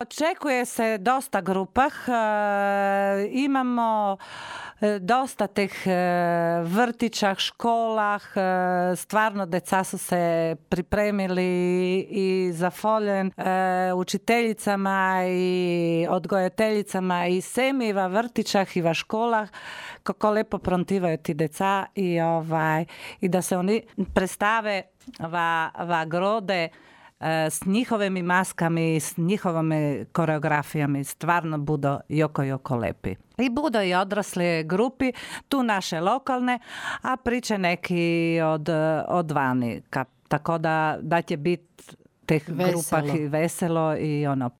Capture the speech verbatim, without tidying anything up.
Očekuje se dosta grupah, e, imamo e, dosta teh e, vrtičah, školah, e, stvarno deca su se pripremili i zafoljen e, učiteljicama i odgojiteljicama i semi v vrtičah i v školah, kako lepo prontivaju ti deca i, ovaj, i da se oni predstave va, va grode s njihovimi maskami, s njihovimi koreografijami, stvarno budo joko, joko lepi. I budo i odrasle grupi, tu naše lokalne, a priče neki od, od vani. Ka, tako da, da će biti teh veselo. grupah i veselo i ono